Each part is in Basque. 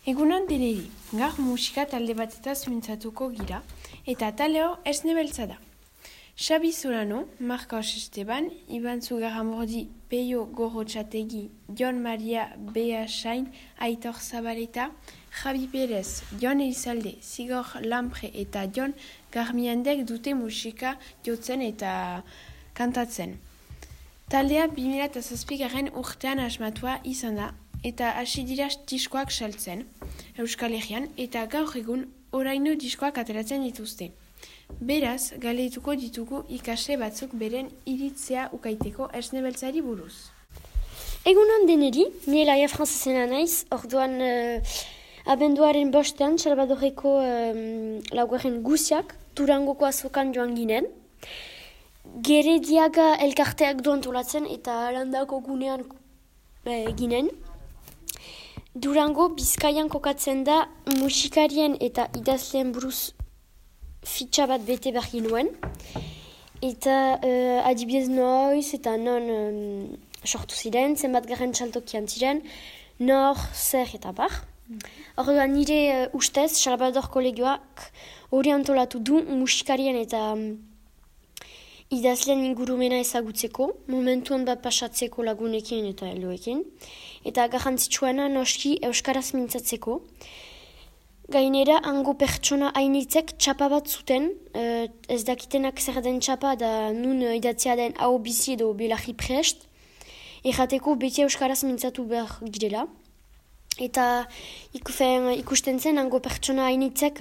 Egunon deneri, gaur musika talde batetaz mintzatuko gira, eta taleo Esne Beltza da. Xabi Solano, Marcos Esteban, Iban Zugarramordi, Peio Gorrotxategi, Jon Maria Beasain, Aitor Zabaleta, Javi Perez, Jon Elizalde, Zigor Lampre eta Jon Garmiandek dute musika jotzen eta kantatzen. Taldea 2007 urtean asmatua izan da, eta hasi dira diskoak saltzen, Euskal Herrian, eta gaur egun oraino diskoak ateratzen dituzte. Beraz, galdetuko ditugu ikasle batzuk beren iritzea ukaiteko Esne Beltzari buruz. Egunon deneri, ni Elaia Franzesena naiz, orduan abenduaren bostean, Salvadorreko laugarren guziak, Durangoko azokan joan ginen. Gerediaga elkarteak du antolatzen eta landako gunean ginen. Durango Bizkaian kokatzen da musikarien eta idazleen buruz fitxa bat bete behar ginuen. Eta adibidez noiz eta non sortu ziren, zenbat garen txaltokian ziren, nor, zer eta bar. Orduan nire ustez, Salvador kolegioak hori antolatu du musikarien eta idazleen ingurumena ezagutzeko, momentuan bat pasatzeko lagunekin eta helduekin, eta garrantzitsuena noski euskaraz mintzatzeko. Gainera, hango pertsona hainitzek txapa bat zuten, ez dakitenak zer den txapa da nun idatzea den hau bizi edo belarri prest, errateko beti euskaraz mintzatu behar girela. Eta ikusten zen hango pertsona hainitzek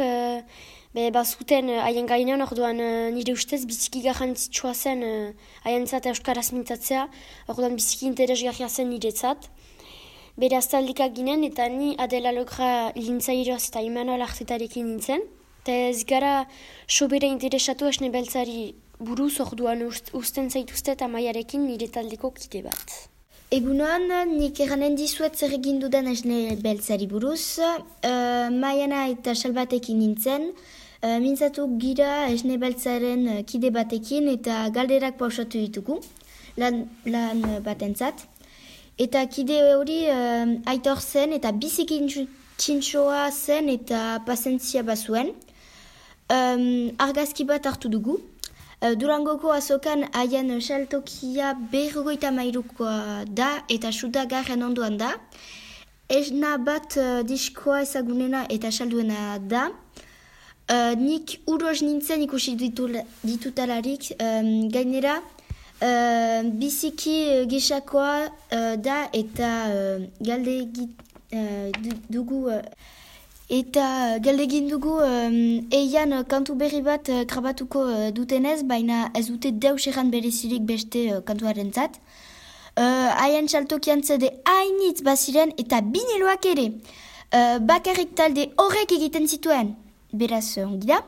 bazuten haien gainean, orduan nire ustez biziki garrantzitsua zen haientzat euskaraz mintzatzea, orduan biziki interesgarria zen niretzat. Bere aztaldikak ginen eta ni Adela Logra lintzairoaz eta Imanol Artetarekin nintzen. Eta ez gara sobera interesatu Esne Beltzari buruz, orduan usten zaituztet Amaiarekin nire taldeko kide bat. Egunon, nik eranen dizuet zer egin dudan Esne Beltzari buruz. Maiana eta Salbatekin nintzen. Mintzatu gira Esne Beltzaren kide batekin eta galderak pausatu ditugu, lan batentzat. Eta kide hori Aitor zen eta biziki txintxoa zen eta pasentzia bazuen. Argazki bat hartu dugu. Durangoko azokan haien saltokia 53koa da eta suda garen ondoan da. Esna bat diskoa ezagunena eta salduena da. Nik uroz nintzen ikusi ditutalarik, gainera biziki gisakoa da eta galdegin dugu eian kantu berri bat grabatuko dutenez, baina ez dute deus erran berezirik beste kantuarentzat. Haien saltokian zede hainitz baziren eta biniloak ere. Bakarrik talde horrek egiten zituen. Beraz, ongi da.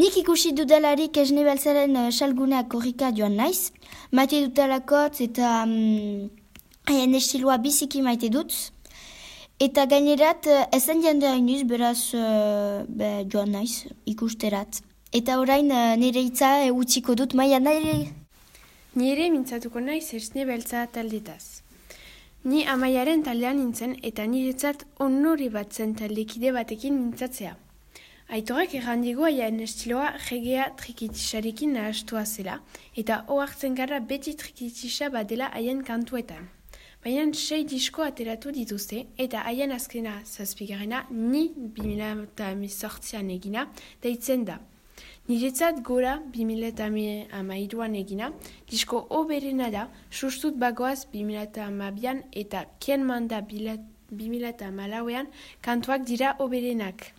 Nik ikusi dudalarik Esne Beltzaren salguneak korrika joan naiz. Maite dutalakotz eta haien estiloa biziki maite dut. Eta gainerat ezen jende hainuz, beraz joan naiz ikusterat. Eta orain nire hitza utziko dut, maia nire. Nire mintzatuko naiz Esne Beltza taldetaz. Ni Amaiaren taldean nintzen eta niretzat onore bat zen taldekide batekin mintzatzea. Aitorek errandigo haien estiloa regea trikitisarekin nahastua zela, eta ohartzen gara beti trikitisa badela haien kantuetan. Baina 6 disko ateratu dituzte, eta haien azkena 7garrena ni 2018an egina deitzen da. Niretzat gora 2013an egina, disko oberena da, sustut bagoaz 2012an eta Kien Manda 2014an kantuak dira oberenak.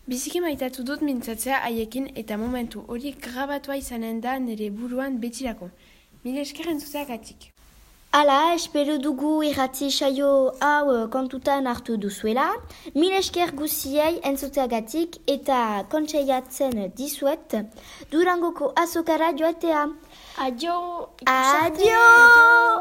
Biziki maitatu dut mintzatzea haiekin eta momentu hori grabatua izanen da nire buruan betirako. Mila esker entzuteagatik. Hala, espero dugu irratzi saio hau kontutan hartu duzuela. Mila esker guziei entzuteagatik eta kontseiatzen dizuet Durangoko azokara joatea. Adio! Adio!